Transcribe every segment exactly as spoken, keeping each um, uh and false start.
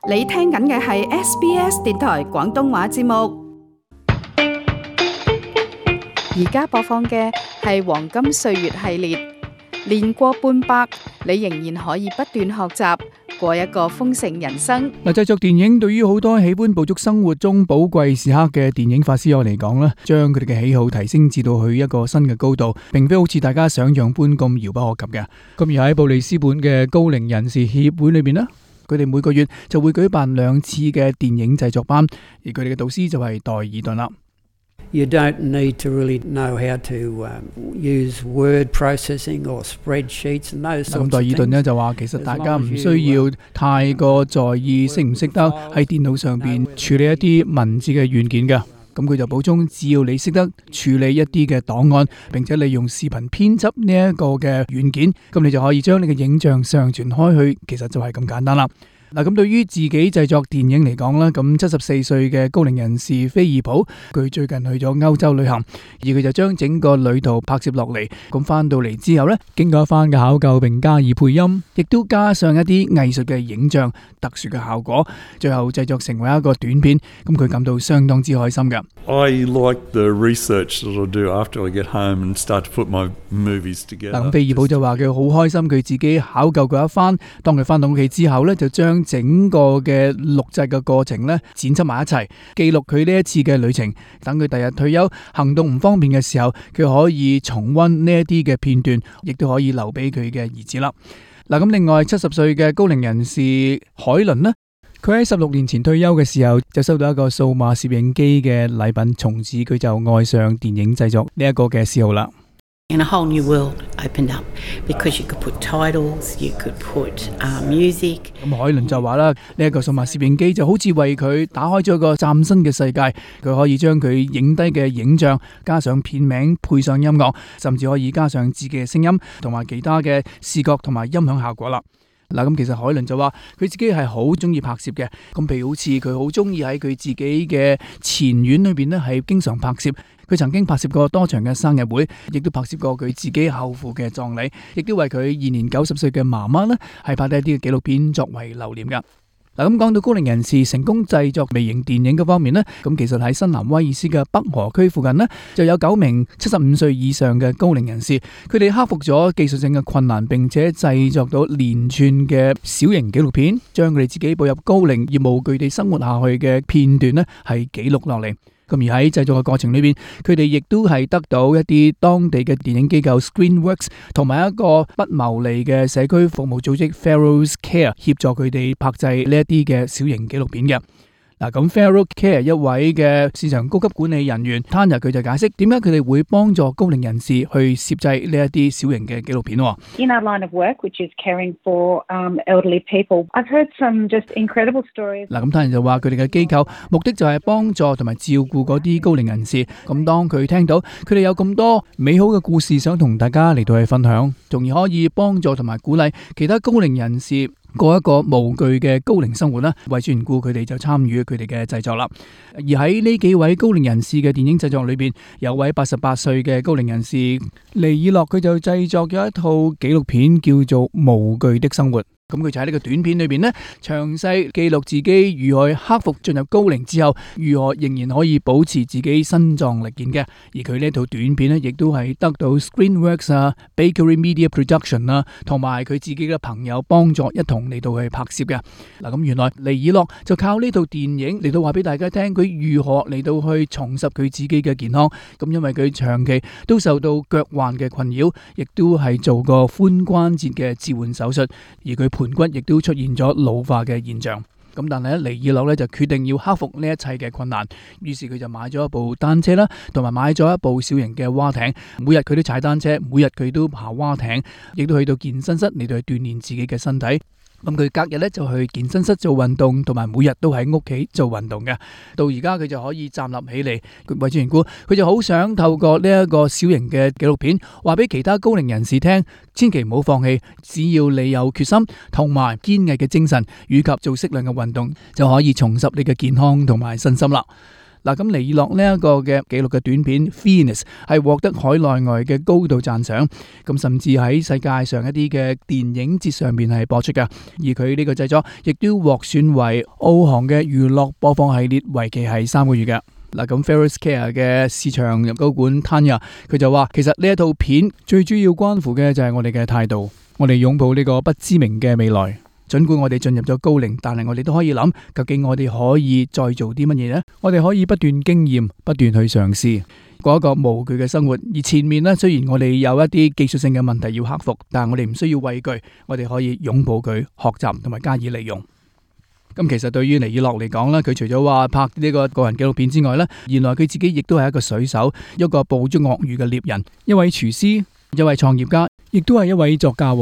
你聽緊嘅係 S B S 電台廣東話節目，而家播放嘅係黃金歲月系列，年過半百，你仍然可以不斷學習，過一個豐盛人生。嗱，製作電影對於好多喜歡捕捉生活中寶貴時刻嘅電影發燒友嚟講咧，將佢哋嘅喜好提升至到去一個新嘅高度，並非好似大家想象般咁遙不可及嘅。咁而喺布里斯本嘅高齡人士協會裏邊咧，佢哋每個月就會舉辦兩次嘅電影製作班，而佢哋嘅導師就係代爾頓啦。You don't need to really know how to um, use word processing or spreadsheets and those sorts of things. 咁代爾頓咧就話，其實大家唔需要太過在意識唔識得喺電腦上邊處理一啲文字嘅軟件嘅。咁佢就補充，只要你識得處理一啲嘅檔案，並且利用視頻編輯呢一個嘅軟件，咁你就可以將你嘅影像上傳開去，其實就係咁簡單啦。嗱，咁對於自己製作電影嚟講啦，咁七十四歲嘅高齡人士菲爾普，佢最近去咗歐洲旅行，而佢就將整個旅途拍攝落嚟。咁翻到嚟之後呢，經過一番嘅考究並加以配音，亦都加上一啲藝術嘅影像、特殊嘅效果，最後製作成為一個短片。咁佢感到相當之開心嘅。I like the research that I do after I get home and start to put my movies together. 嗱，咁菲爾普就話佢好開心，佢自己考究過一番。當佢翻到屋企之後呢，就將整個嘅錄製嘅過程咧剪輯埋一齊，記錄佢呢一次嘅旅程。等佢第日退休行動唔方便嘅時候，佢可以重溫呢一啲嘅片段，亦都可以留俾佢嘅兒子啦。嗱，咁另外七十歲嘅高齡人士海倫呢，佢喺十六年前退休嘅時候就收到一個數碼攝影機嘅禮品，從此佢就愛上電影製作呢一個嘅嗜好啦。And a whole new world opened up because you could put titles, you could put uh, music. 咁海倫就話啦，呢一個數碼攝影機就好似為佢打開咗一個嶄新嘅世界，佢可以將佢影低嘅影像加上片名，配上音樂，甚至可以加上自己嘅聲音同埋其他嘅視覺同埋音響效果啦。嗱，咁其實海倫就話佢自己係好中意拍攝嘅，咁譬如好似佢好中意喺佢自己嘅前院裏邊呢，係經常拍攝。佢曾經拍攝過多場嘅生日會，亦都拍攝過佢自己後父嘅葬禮，亦都為佢現年九十歲嘅媽媽呢，係拍低一啲嘅紀錄片作為留念噶。嗱，咁講到高齡人士成功製作微型電影嘅方面呢，咁其實喺新南威爾斯嘅北河區附近呢，就有九名七十五歲以上嘅高齡人士，佢哋克服咗技術性嘅困難，並且製作到連串嘅小型紀錄片，將佢哋自己步入高齡而無懼地生活下去嘅片段呢，係記錄落嚟。咁而喺製作嘅過程裏邊，佢哋亦都係得到一啲當地嘅電影機構 Screenworks 同埋一個不牟利嘅社區服務組織 Feral Care 協助佢哋拍製呢一啲嘅小型紀錄片嘅。嗱，咁 Feral Care 一位嘅市場高級管理人員 Tanya 佢就解釋點解佢哋會幫助高齡人士去攝製呢一啲小型嘅紀錄片。In our line of work, which is caring for um, elderly people, I've heard some just incredible stories. 嗱，咁 Tanya 就話佢哋嘅機構目的就係幫助同埋照顧嗰啲高齡人士。咁當佢聽到佢哋有咁多美好嘅故事想同大家嚟到去分享，從而可以幫助同埋鼓勵其他高齡人士過一個無懼嘅高齡生活啦，為此緣故佢哋就參與佢哋嘅製作啦。而喺呢幾位高齡人士嘅電影製作裏邊，有位八十八歲嘅高齡人士尼爾諾，佢就製作咗一套紀錄片叫做《無懼的生活》。咁佢就喺呢個短片裏邊呢，詳細記錄自己如何克服進入高齡之後，如何仍然可以保持自己身壯力健嘅。而佢呢套短片呢，亦都係得到 Screenworks 啊、Bakery Media Production 啊，同埋佢自己嘅朋友幫助一同嚟到去拍攝嘅。嗱，咁原來尼爾諾就靠呢套電影嚟到話俾大家聽，佢如何嚟到去重拾佢自己嘅健康。咁因為佢長期都受到腳患嘅困擾，亦都係做過髖關節嘅置換手術，而佢盤骨亦都出現咗老化嘅現象。咁但係咧，尼爾諾咧就決定要克服呢一切嘅困難，於是佢就買咗一部單車啦，同埋買咗一部小型嘅蛙艇。每日佢都踩單車，每日佢都爬蛙艇，亦都去到健身室嚟到去鍛煉自己嘅身體。咁佢隔日咧就去健身室做運動，同埋每日都喺屋企做運動嘅。到而家佢就可以站立起嚟。為之緣故，佢就好想透過呢一個小型嘅紀錄片，話俾其他高齡人士聽，千祈唔好放棄，只要你有決心同埋堅毅嘅精神，以及做適量嘅運動，就可以重拾你嘅健康同埋身心啦。嗱，咁尼爾諾呢一個嘅紀錄嘅短片 Venus 係獲得海內外嘅高度讚賞，咁甚至喺世界上一啲嘅電影節上面係播出㗎，而佢呢個製作亦都獲選為澳航嘅娛樂播放系列，為期係三個月嘅。嗱，咁 Ferris Care 嘅市場高管 Tanya 佢就話，其實呢一套片最主要關乎嘅就係我哋嘅態度，我哋擁抱呢個不知名嘅未來。儘管我哋進入咗高齡，但係我哋都可以諗，究竟我哋可以再做啲乜嘢呢？我哋可以不斷經驗，不斷去嘗試，過一個無懼嘅生活。而前面呢，雖然我哋有一啲技術性嘅問題要克服，但係我哋唔需要畏懼，我哋可以擁抱佢，學習同埋加以利用。咁其實對於尼爾諾嚟講呢，佢除咗話拍呢個個人紀錄片之外呢，原來佢自己亦都係一個水手，一個捕捉鱷魚嘅獵人，一位廚師，一位創業家，亦都係一位作家。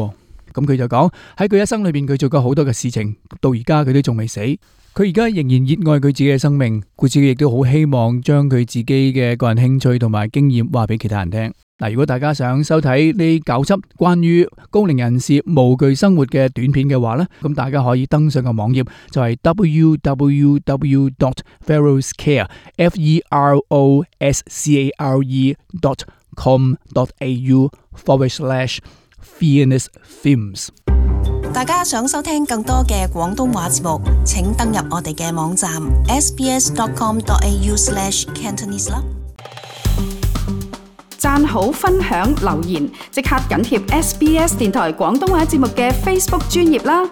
咁佢就講喺佢一生裏邊，佢做過好多嘅事情，到而家佢都仲未死。佢而家仍然熱愛佢自己嘅生命，故此佢亦都好希望將佢自己嘅個人興趣同埋經驗話俾其他人聽。嗱，如果大家想收睇呢九輯關於高齡人士無懼生活嘅短片嘅話呢，咁大家可以登上個網頁，就係 w w w dot ferris care f e r o s c a r e dot com dot a u forward slash Venus Films。大家想收聽更多嘅廣東話節目，請登入我哋嘅網站 s b s dot com dot a u slash cantonese 啦。讚好、分享、留言，即刻緊貼 S B S 電台廣東話節目嘅 Facebook 專頁啦！